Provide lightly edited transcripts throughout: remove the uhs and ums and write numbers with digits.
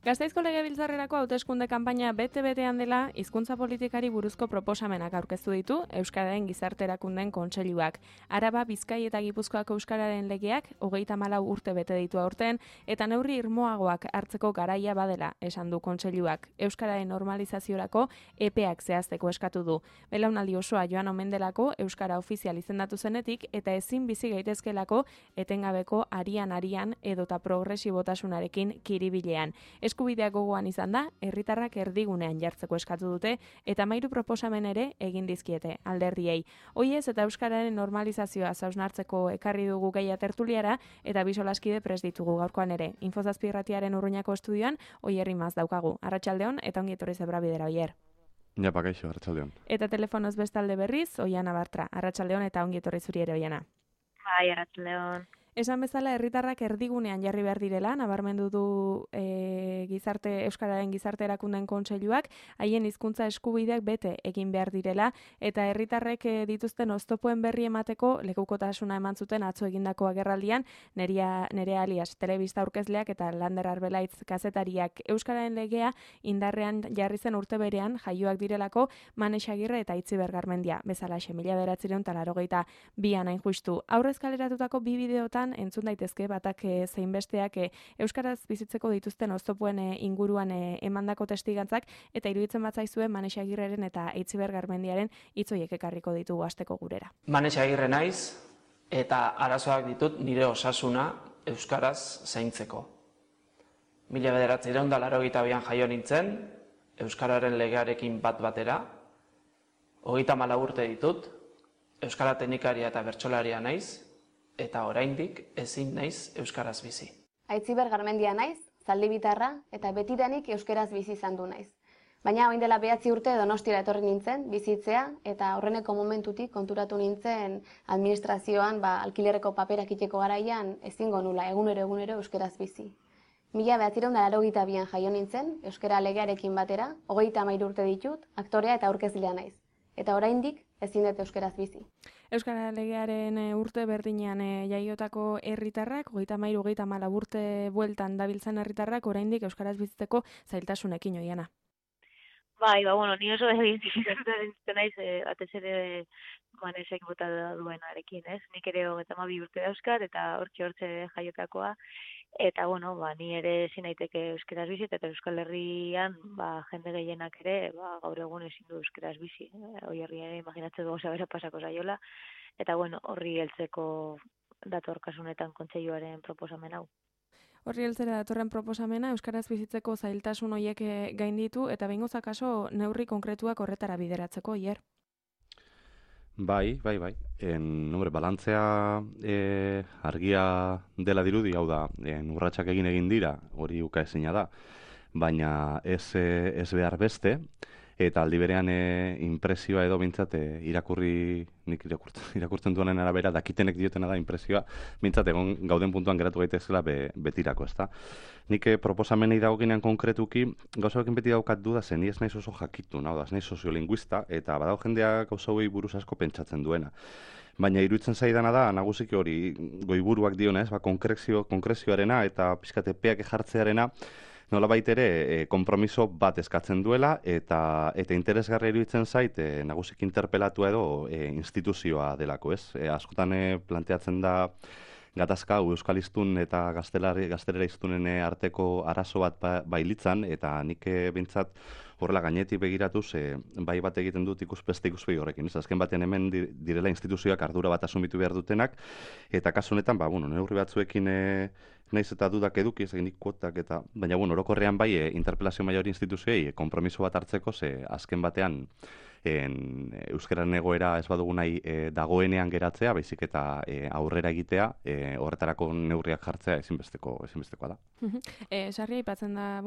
Gasteizko Legebiltzarrerako hauteskunde kanpaina bete-betean dela, hizkuntza politikari buruzko proposamenak aurkeztu ditu Euskararen Gizarte Erakundeen Kontseiluak. Araba, Bizkai eta Gipuzkoako euskararen legeak 34 urte bete ditu aurten eta neurri irmoagoak hartzeko garaia badela, esan du Kontseiluak. Euskararen normalizaziorako epeak zehazteko eskatu du. Belaunaldi osoa joan omen delako euskara ofizial izendatu zenetik eta ezin bizi gaitezkelako etengabeko arian edota progresibotasunarekin kiribilean. Eskubideak gogoan izan da, herritarrak erdigunean jartzeko eskatu dute eta 13 proposamen ere egin dizkiete alderdiei. Hoiez eta euskararen normalizazioa hausnartzeko ekarri dugu gaia tertuliara eta bi solaskide prest ditugu gaurkoan ere. Infozazpi irratiaren Urruñako estudioan Oier Imaz daukagu. Arratsaldeon eta ongi etorri Zebrabidera Oier. Ja, pakaixo, arratsaldeon. Eta telefonoz bestalde berriz Oiana Bartra. Arratsaldeon eta ongi etorri zuri ere Oiana. Bai, arratsaldeon. Esan bezala herritarrak erdigunean jarri behar direla, nabarmendu du Euskararen Gizarte Erakundeen Kontseiluak, haien hizkuntza eskubideak bete egin behar direla, eta herritarrek dituzten oztopoen berri emateko lekukotasuna eman zuten atzo egindako agerraldian, Nerea Alias telebista aurkezleak eta Lander Arbelaitz kazetariak. Euskararen legea indarrean jarri zen urte berean jaioak direlako Manex Agirre eta Itziber Garmendia, bezalaxe 1982an hain justu. Aurrez kaleratutako bi bideotan entzun daitezke batak zein besteak euskaraz bizitzeko dituzten oztopoen inguruan emandako testigantzak eta iruditzen batzaizue Manex Agirreren eta Itziber Garmendiaren hitz horiek ekarriko ditugu asteko gurera. Manex Agirre naiz eta arazoak ditut nire osasuna euskaraz zaintzeko. 1982an jaio nintzen, euskararen legearekin bat batera, 34 urte ditut, euskara teknikaria eta bertsolaria naiz, eta oraindik ezin naiz euskaraz bizi. Aitziber Garmendia naiz, zaldibitarra eta betidanik euskaraz bizi izan du naiz. Baina orain dela 9 urte Donostiara etorri nintzen bizitzea eta horreneko momentutik konturatu nintzen administrazioan alkilerreko paperak iteko garaian ezingo nula egunero euskaraz bizi. 1982an jaio nintzen, euskara legearekin batera, 33 urte ditut, aktorea eta aurkezlea naiz. Eta oraindik ezin dut euskaraz bizi. Euskara legearen urte berdinean jaiotako herritarrak, 33-34 urte bueltan dabiltzan herritarrak, oraindik euskaraz bizitzeko zailtasunekin Oiana. Bai, ni oso identifikatuta naiz, batez ere Manexek bota duenarekin, ez? Nik ere 32 urte dauzkat eta hortxe jaiotakoa. Eta, ni ere ezin naiteke euskaraz bizi, eta Euskal Herrian, jende gehienak ere, gaur egun ezin du euskaraz bizi. Oierri ere imaginatzen gauza bera pasako zaiola. Eta, horri heltzeko datorkasunetan kontseiluaren proposamen hau. Horri heltzera datorren proposamena, euskaraz bizitzeko zailtasun horiek gainditu, eta behingoz akaso neurri konkretuak horretara bideratzeko, Oier? Bai. Balantzea argia dela dirudi, hau da, urratsak egin dira, hori ukaezina da, baina ez behar beste, eta aldi berean inpresioa edo bintzat nik irakurtzen duenen arabera, dakitenek diotena da inpresioa, bintzat egon gauden puntuan geratu gaitezela betirako, ezta. Nik proposamenei dagokinean konkretuki, gauza bekin beti daukat duda zen, ni ez naiz oso jakitun, hau da, ez naiz soziolinguista, eta badago jendea gauza hori buruz asko pentsatzen duena. Baina iruditzen zaidana da, nagusiki hori goiburuak dionez, konkrezioarena eta pizkatepeak jartzearena, nolabait ere konpromiso bat eskatzen duela eta interesgarria iruditzen zait nagusik interpelatua edo instituzioa delako, ez? Askotan planteatzen da gatazka euskal hiztun eta gaztelera hiztunen arteko arazo bat bailitzan eta nik bintzat horrela gainetik begiratuz bai bat egiten dut beste ikuspegi horrekin. Azken batean hemen direla instituzioak ardura bat asumitu behar dutenak eta kasu honetan neurri batzuekin naiz eta dudak eduki, ez eginik kuotak eta, baina orokorrean bai interpelazio maila hori instituzioei konpromiso bat hartzeko, azken batean euskararen egoera ez badugu nahi dagoenean geratzea, baizik eta aurrera egitea, horretarako neurriak jartzea ezinbestekoa da. Sarri aipatzen da,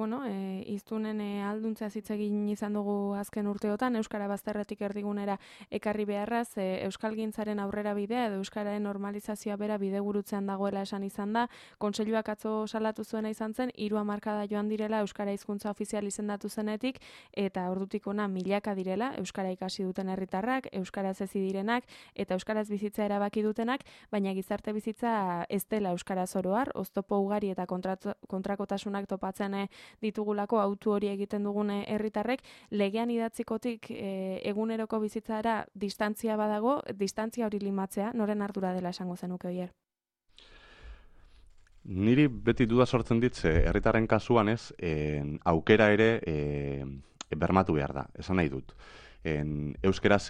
hiztunen ahalduntzea hitz egin izan dugu azken urteotan, euskara bazterretik erdigunera ekarri beharraz, euskalgintzaren aurrera bidea edo euskararen normalizazioa bera bidegurutzean dagoela esan izan da, kontseiluak atzo salatu zuena izan zen, 3 hamarkada joan direla euskara hizkuntza ofizial izendatu zenetik, eta ordutik hona milaka direla euskara ikasi duten herritarrak, euskaraz hezi direnak eta euskaraz bizitza erabaki dutenak, baina gizarte bizitza ez dela euskaraz oro har, oztopo ugari eta kontrakotasunak topatzen ditugulako autu hori egiten dugune herritarrek, legean idatzikotik eguneroko bizitzara distantzia badago, distantzia hori limatzea, noren ardura dela esango zenuke Oier? Niri beti duda sortzen dit, herritarren kasuan aukera ere bermatu behar da, esan nahi dut. Euskeraz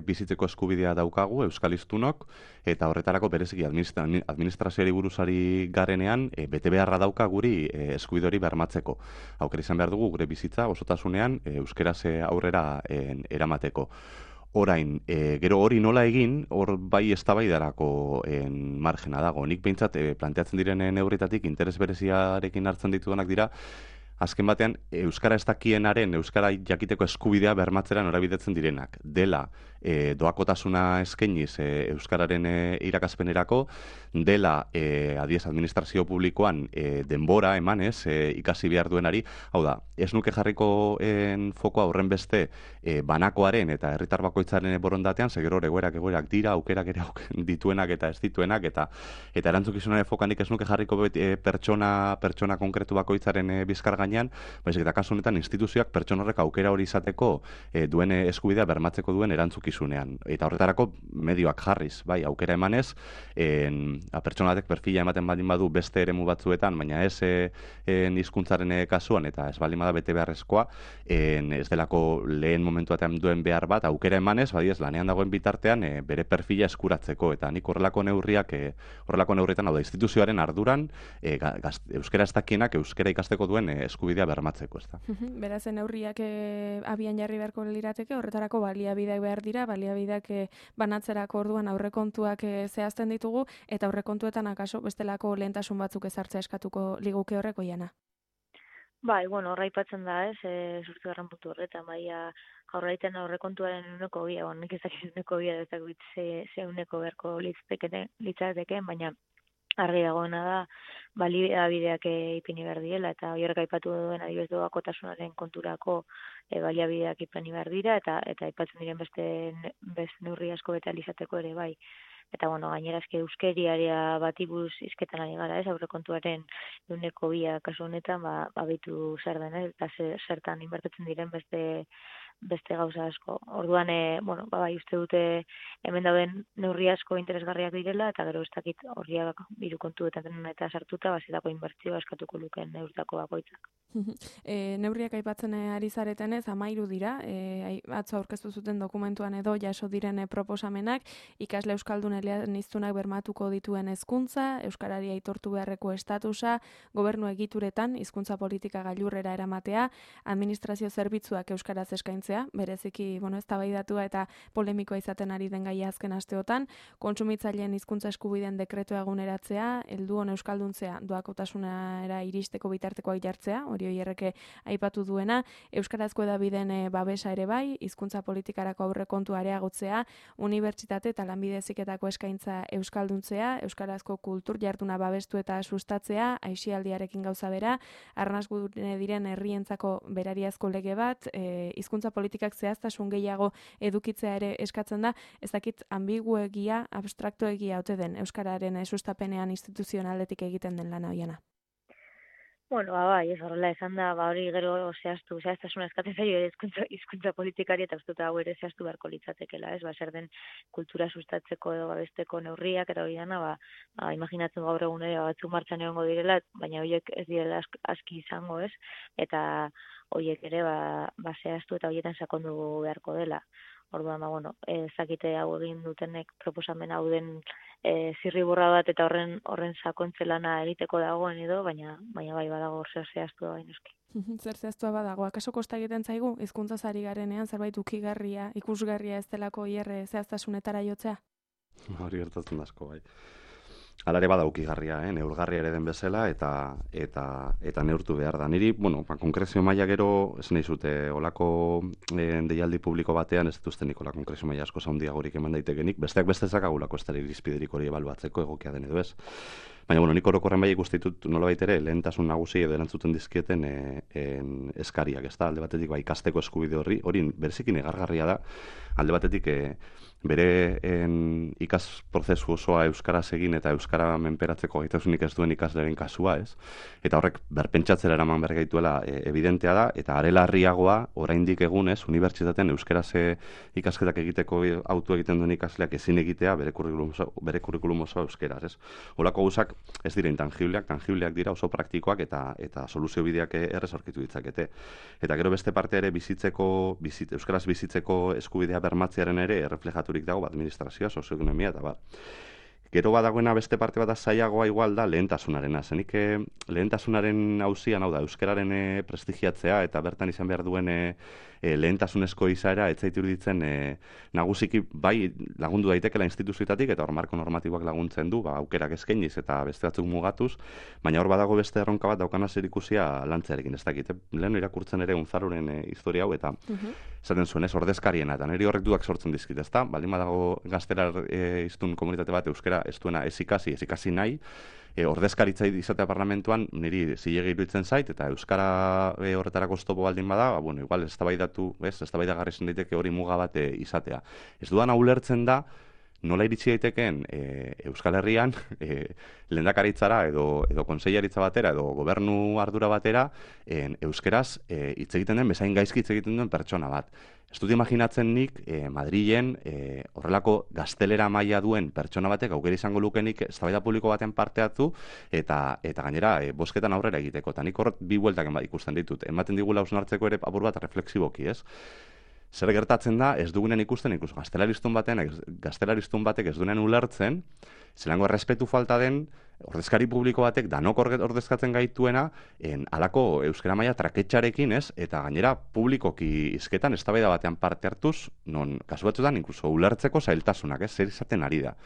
bizitzeko eskubidea daukagu, euskal hiztunok, eta horretarako bereziki administrazioari buruzari garenean, bete beharra dauka guri eskubide hori bermatzeko. Aukera izan behar dugu gure bizitza osotasunean euskeraz aurrera eramateko. Orain, gero hori nola egin, hor bai eztabaidarako margena dago. Nik behintzat planteatzen diren neurritatik interes bereziarekin hartzen ditudanak dira, azken batean, euskara ez dakienaren, euskara jakiteko eskubidea bermatzera norabidetzen direnak. Dela, doakotasuna eskainiz euskararen irakaspenerako, dela, adiez, administrazio publikoan denbora emanez ikasi behar duenari. Hau da, ez nuke jarriko fokoa horren beste banakoaren eta herritar bakoitzaren borondatean, segero egoerak dira, aukerak ere dituenak eta ez dituenak, eta erantzukizunaren fokanik ez nuke jarriko pertsona konkretu bakoitzaren bizkar gainean, baizik eta kasu honetan instituzioak pertsona horrek aukera hori izateko duen eskubidea bermatzeko duen erantzukizunean. Eta horretarako medioak jarriz, bai, aukera emanez, pertsona batek perfila ematen baldin badu beste eremu batzuetan, baina ez hizkuntzaren kasuan eta ez baldin bada bete beharrezkoa, ez delako lehen momentu batean duen behar bat, aukera emanez, bai ez lanean dagoen bitartean bere perfila eskuratzeko, eta nik horrelako neurrietan, hau da, instituzioaren arduran, euskara ez dakienak euskara ikasteko duen eskubidea bermatzeko, ez da. Beraz, neurriak abian jarri beharko lirateke, horretarako baliabideak behar dira, baliabideak banatzerako orduan aurrekontuak zehazten ditugu, eta aurrekontuetan akaso bestelako lehentasun batzuk ezartzea eskatuko liguke horreko Jana. Bai, bueno, horra aipatzen da, zortzigarren puntu horretan, bai, jaurlaritzen aurrekontuaren uneko bia, nik ez dakiz uneko bia, ez dakit ze uneko beharko litzateke, baina argi dagoena da, baliabideak ipini behar diela, eta horrek aipatu duen adibidez doakotasunaren konturako baliabideak ipini behar dira, eta aipatzen diren beste neurri asko beta izateko ere bai. Eta, bueno, gainera euskeriaria bati buruz hizketan ari gara, aurrekontuaren ehuneko bia kasu honetan, behitu zer den, eta zertan inbertitzen diren beste gauza asko. Orduan, bai, uste dute hemen dauden neurri asko interesgarriak direla, eta gero ez dakit horriak biru kontuetan eta sartuta, bazitako inbertzioa eskatuko lukeen neurtako bakoitzak. Neurriak aipatzen ari zaretenez, 13 dira, atzo aurkeztu zuten dokumentuan edo jaso diren proposamenak, ikasle euskaldun eleaniztunak bermatuko dituen hezkuntza, euskarari aitortu beharreko estatusa, gobernu egituretan hizkuntza politika gailurrera eramatea, administrazio zerbitzuak euskaraz eskaintzea, bereziki, eztabaidatua eta polemikoa izaten ari den gaia azken asteotan, kontsumitzaileen hizkuntza eskubideen dekretua eguneratzea, helduon euskalduntzea doakotasunera iristeko bitartekoak jartzea, hori Oierreke aipatu duena, euskarazko hedabideen babesa ere bai, hizkuntza politikarako aurrekontua areagotzea, unibertsitate eta lanbide heziketako eskaintza euskalduntzea, euskarazko kultur jarduna babestu eta sustatzea, aisialdiarekin gauza bera, arnasgune diren herrientzako berariazko lege bat, hizkuntza politikak zehaztasun gehiago edukitzea ere eskatzen da, ez dakit ambiguegia, abstraktoegia ote den euskararen sustapenean instituzionaletik egiten den lana Oiana. Bueno, bai, ez horrela esan da, hori gero zehaztasuna eskatzen zaio hizkuntza politikari eta uste hau ere zehaztu beharko litzatekela, ez? Zer den kultura sustatzeko edo babesteko neurriak eta hori dana, imaginatzen gaur egun ere batzuk martxan egongo direla, baina horiek ez direla aski izango, ez? Eta horiek ere zehaztu eta horietan sakondu beharko dela. Orduan, ezakite hau egin dutenek proposamen hau den zirriborra bat eta horren sakontze lana egiteko dagoen edo, baina bai badago zer zehaztu da bainoski. Zer zehaztua badago, akaso kosta egiten zaigu, hizkuntzaz ari garenean zerbait ukigarria, ikusgarria ez delako hierre zehaztasunetara jotzea? Hori gertatzen asko, bai. Hala ere bada ukigarria, neurgarria ere den bezala eta neurtu behar da. Niri, konkrezio maila gero, ez nahi zute, olako deialdi publiko batean ez dituztenik ola konkrezio maila asko zaundiagorik eman daitekenik, besteak beste zakagulako ez dara irizpiderik hori ebaluatzeko egokia den edo ez. Baina, nik orokorren bai ikustitut nolabait ere lehentasun nagusi edo erantzuten dizkieten eskariak, ez da, alde batetik ikasteko eskubide hori bereziki negargarria da, alde batetik bere ikas prozesu osoa euskaraz egin eta euskara menperatzeko gaitasunik ez duen ikasleren kasua, ez? Eta horrek berpentsatzera eraman behar gaituela evidentea da, eta are larriagoa oraindik egunez unibertsitatean euskaraz ikasketak egiteko autu egiten duen ikasleak ezin egitea bere kurrikulum osoa euskaraz, ez? Holako gauzak ez dira tangibleak dira, oso praktikoak eta soluzio bideak errez aurkitu ditzakete. Eta gero beste parte ere euskaraz bizitzeko eskubidea bermatzearen ere erreflejaturik dago administrazioa, sozioekonomia eta bar. Gero badagoena beste parte bat zailagoa igual da lehentasunarena. Zenik lehentasunaren auzian, hau da, euskararen prestigiatzea eta bertan izan behar duen lehentasunezko izaera ez zait iruditzen nagusiki bai lagundu daitekela instituzioetatik eta hor marko normatiboak laguntzen du, aukerak eskainiz eta beste batzuk mugatuz, baina hor badago beste erronka bat daukana zerikusia lantzearekin, ez dakit. Lehen irakurtzen ere Unzaluren historia hau eta esaten zuen ez ordezkariena eta niri horrek duak sortzen dizkit, ezta? Baldin badago gaztelar hiztun komunitate bat euskara ez duena ez ikasi nahi, ordezkaritza izatea parlamentuan niri zilegi iruditzen zait eta euskara horretarako oztopo baldin bada, bueno, igual eztabaidagarri izan daiteke hori muga bat izatea. Ez dudana ulertzen da nola iritsi daitekeen Euskal Herrian lehendakaritzara edo kontseilaritza batera edo gobernu ardura batera euskeraz hitz egiten den bezain gaizki hitz egiten duen pertsona bat. Ez dut imaginatzen nik Madrilen horrelako gaztelera maila duen pertsona batek aukera izango lukenik eztabaida publiko baten parte hartu eta gainera bozketan aurrera egiteko. Eta nik horret bi bueltak ikusten ditut. Ematen digula hausnartzeko ere apur bat reflexiboki, ez? Zer gertatzen da, ez dugunen ikusten, inkluso gaztelaristun batek ez duenen ulertzen, zelango errespetu falta den, ordezkari publiko batek danok ordezkatzen gaituena, halako euskara maila traketxarekin, ez? Eta gainera publikoki hizketan eztabaida batean parte hartuz, non kasu batzuetan inkluso ulertzeko zailtasunak, ez? Zer izaten ari da.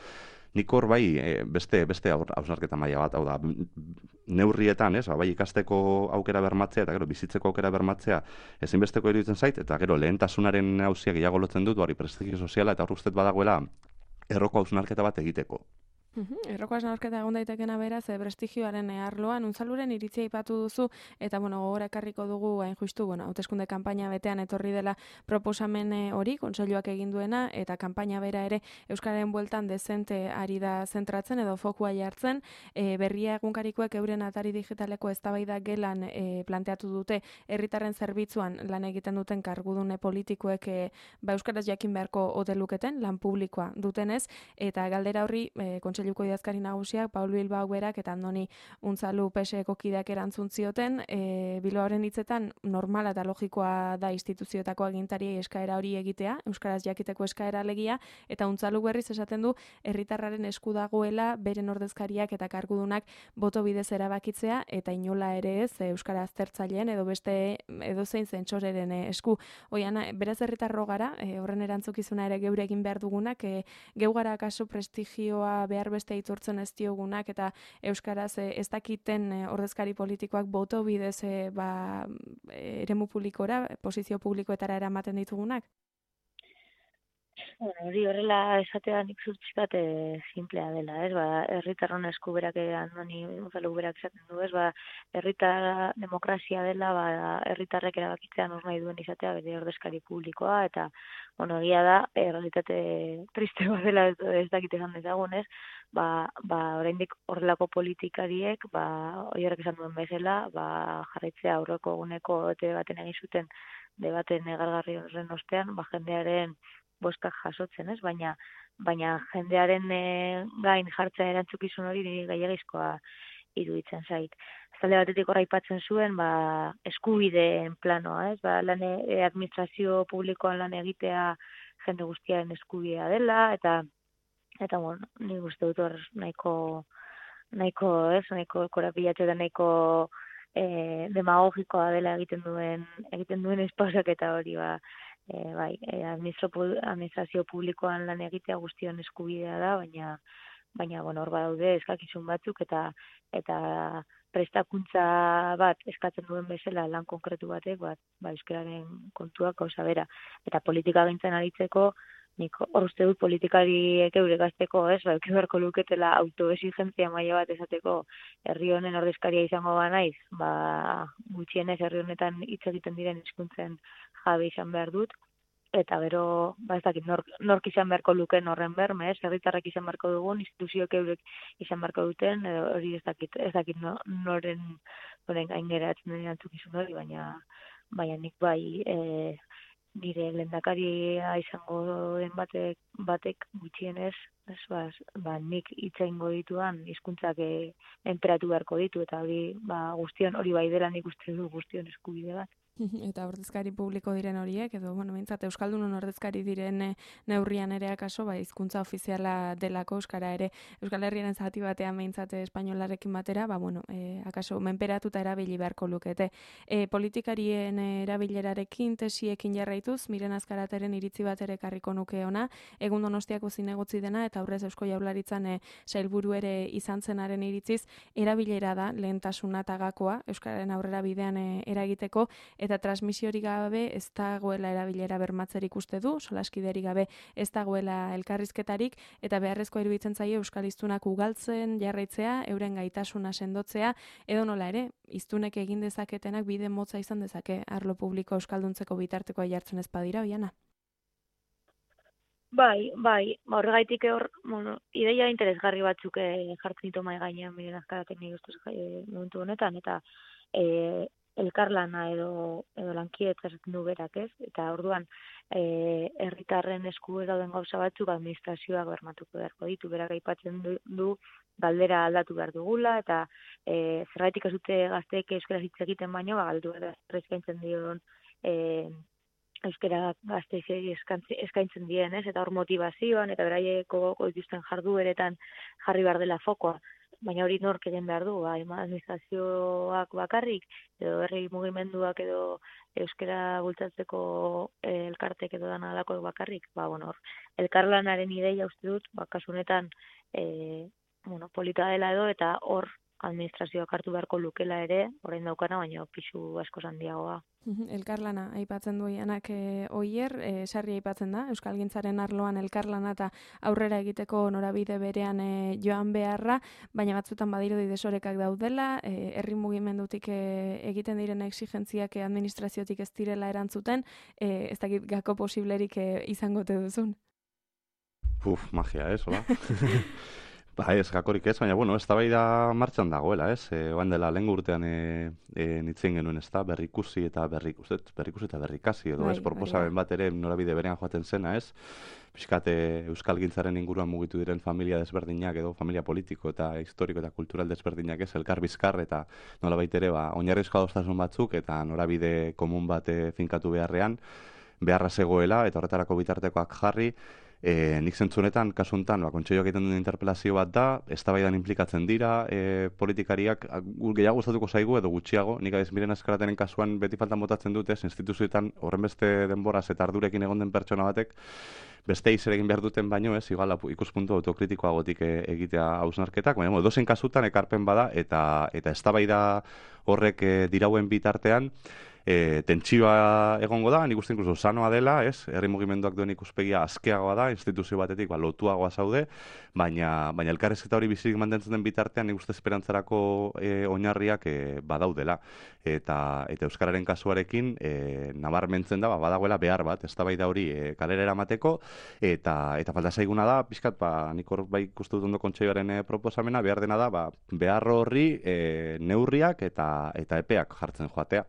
Nik hor bai beste hausnarketa maila bat, hau da, neurrietan, ez, bai ikasteko aukera bermatzea eta gero bizitzeko aukera bermatzea ezinbesteko iruditzen zait, eta gero lehentasunaren auzia gehiago lotzen dut, hori prestigio soziala eta hor ustez badagoela erroko hausnarketa bat egiteko. Erroko hausnarketa egon daitekena beraz, prestigioaren arloan, Unzaluren iritzia aipatu duzu, eta gogora ekarriko dugu, hain justu, hauteskunde kanpaina betean etorri dela proposamen hori, kontseiluak egin duena, eta kanpaina bera ere euskararen bueltan dezente ari da zentratzen edo fokua jartzen, berria egunkarikoek euren atari digitaleko eztabaida gelan planteatu dute herritarren zerbitzuan lan egiten duten kargudune politikoek euskaraz jakin beharko ote luketen, lan publikoa dutenez, eta galdera horri kontseiluko idazkari nagusiak, Paul Bilbao berak eta Andoni Unzalu PSeko kideak erantzun zioten, Bilbaoren hitzetan normala eta logikoa da instituzioetako agintariei eskaera hori egitea, euskaraz jakiteko eskaera alegia, eta Unzalu berriz esaten du herritarraren esku dagoela beren ordezkariak eta kargudunak boto bidez erabakitzea, eta inola ere ez euskara aztertzaileen edo beste edozein zentsoreren esku. Oian, beraz herritarro gara, horren erantzukizuna ere geure egin behar dugunak, geu gara kasu prestigioa behar beste aitortzen ez diogunak eta euskaraz ez dakiten ordezkari politikoak boto bidez eremu publikora, posizio publikoetara eramaten ditugunak? Hori horrela esatea nik zurtzikat simplea dela, ez? Herritarron eskuberak Andoni Unzalu berak esaten du, ez? Herritar demokrazia dela, herritarrek erabakitzea nor nahi duen izatea bere ordezkari publikoa eta egia da, realitate triste bat dela ez dakite esan dezagun, ez? Oraindik horrelako politikariek, horiek esan duen bezala, jarraitzea aurreko eguneko baten egin zuten debaten negargarri horren ostean, jendearen boskak jasotzen, ez? Baina jendearen gain jartzea erantzukizun hori niri gehiagizkoa iruditzen zait. Talde batetik horra aipatzen zuen, eskubideen planoa, ez? Administrazio publikoan lan egitea jende guztiaren eskubidea dela, eta nik uste dut hor nahiko korapilatxo eta nahiko demagogikoa dela egiten duen espausak eta hori administrazio publikoan lan egitea guztion eskubidea da, baina hor badaude eskakizun batzuk eta prestakuntza bat eskatzen duen bezala lan konkretu batek, euskararen kontuak gauza bera. Eta politika gintzen aritzeko, nik hor uste dut politikariek eure gazteko, euki beharko luketela autoexigentzia maila bat esateko herri honen ordezkaria izango naiz, gutxienez herri honetan hitz egiten diren hizkuntzen jabe izan behar dut, eta gero, ez dakit, nork izan beharko luken horren berme, herritarrak izan beharko dugun, instituzioek eurek izan beharko duten, edo hori ez dakit noren gaingeratzen den erantzukizun hori, baina nik bai nire lehendakaria izango den batek gutxienez, nik hitza ingo dituan hizkuntzak enperatu beharko ditu, eta hori guztion hori bai dela nik uste du guztion eskubide bat. Eta ordezkari publiko diren horiek, edo, mintzat, Euskaldunon ordezkari diren neurrian ere akaso, hizkuntza ofiziala delako Euskara ere, Euskal Herriaren zati batean mintzat espainolarekin batera, akaso menperatuta erabili beharko lukete. Politikarien erabilerarekin, tesiekin jarraituz, Miren Azkarateren iritzi bat ere karriko nuke ona, egun Donostiako zinegotzi dena, eta aurrez Eusko Jaurlaritzan sailburu ere izan zenaren iritziz, erabilera da lehentasuna tagakoa, Euskararen aurrera bidean eragiteko, eta transmisiorik gabe ez dagoela erabilera bermatzerik uste du, solaskiderik gabe ez dagoela elkarrizketarik, eta beharrezkoa iruditzen zaie euskal hiztunak ugaltzen jarraitzea, euren gaitasuna sendotzea, edo nola ere, hiztunek egin dezaketenak bide motza izan dezake arlo publiko euskalduntzeko bitartekoa jartzen ez badira, Oiana? Bai, horregaitik ideia interesgarri batzuk jartzen ditu mahai gainean Miren Azkaratek nik ustez momentu honetan, eta elkarlana edo lankidetza esaten du berak, ez? Eta orduan herritarren esku dauden gauza batzuk administrazioak bermatuko beharko ditu, berak aipatzen du galdera aldatu behar dugula, eta zergaitik ez dute gazteek euskaraz hitz egiten baino, galdu eskaintzen dion euskara gazteei eskaintzen dien, ez? Eta hor motivazioan, eta beraieko dituzten jardueretan jarri behar dela fokoa. Baina hori nork egin behar du, administrazioak bakarrik, edo herri mugimenduak edo euskara bultzatzeko elkartek edo dana alako bakarrik. Elkarlanaren ideia uste dut, kasu honetan polita dela edo, eta hor administrazioak hartu beharko lukela ere, orain daukana, baina pisu asko handiagoa. Elkarlana aipatzen du Ianak oier, sarri aipatzen da, euskalgintzaren arloan elkarlana eta aurrera egiteko norabide berean joan beharra, baina batzutan badirudi desorekak daudela, herri mugimendutik egiten diren exigentziak administraziotik ez direla erantzuten, ez dakit gako posiblerik izangote duzun. Magia, ez, hola? Ez, gakorik ez, baina, ez da bai da martxan dagoela, ez? Oan dela, lehen urtean nitzen genuen, ez da, berrikusi eta berrikasi, edo ez, proposamen bat ere norabide berean joaten zena, ez? Piskat euskalgintzaren inguruan mugitu diren familia desberdinak edo familia politiko eta historiko eta kultural desberdinak, ez? Elkar bizkar eta nolabait ere, oinarrizko adostasun batzuk eta norabide komun bat finkatu beharra zegoela eta horretarako bitartekoak jarri. Nik zentzunetan, kasuntan, kontseioak egiten duen interpelazio bat da, eztabaidan inplikatzen dira, politikariak gehiago gustatuko zaigu edo gutxiago, nik adez Miren Azkarateren kasuan beti faltan botatzen dute, instituzioetan horren beste denboraz eta ardurekin egon den pertsona batek, beste izer egin behar duten baino, ez, igual ikuspuntu autokritikoagotik egitea hausnarketak, baina dozen kasutan ekarpen bada eta eztabaida horrek dirauen bitartean, tentsioa egongo da, nik uste inkluso sanoa dela, ez? Herri mugimenduak duen ikuspegia askeagoa da, instituzio batetik lotuagoa zaude, baina elkarrizketa hori bizirik mantentzen den bitartean nik uste esperantzarako oinarriak badaudela. Eta euskararen kasuarekin nabarmentzen da, badagoela behar bat, eztabaida hori kalera eramateko, eta falta zaiguna da, pixkat, nik hor bai ikustu dut ondo kontseioaren proposamena, behar dena da, behar horri neurriak eta epeak jartzen joatea.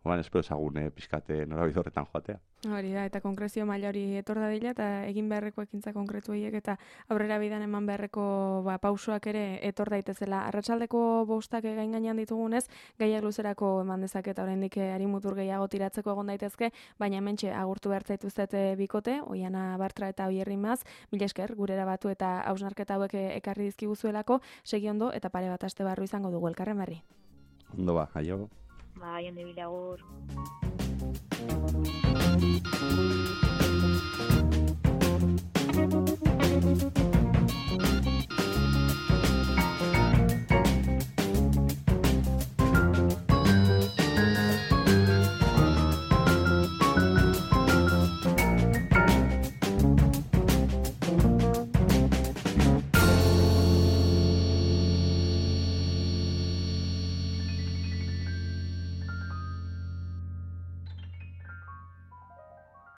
Espero ezagun pixkate norabide horretan joatea. Hori da, eta konkrezio maila hori etor dadila, eta egin beharreko ekintza konkretu horiek, eta aurrera bidan eman beharreko pausoak ere etor daitezela. Arratsaldeko 5 gain gainean ditugunez, gaiak luzerako eman dezaket, oraindik harimutur gehiago tiratzeko egon daitezke, baina hementxe agurtu behar zaituztet bikote, Oiana Bartra eta Oier Rimaz, mila esker, gurera batu eta hausnarketa hauek ekarri dizkiguzuelako, segi ondo eta pare bat aste barru izango dugu elkarren berri. Ondo aio. Jende bilagur. Thank you.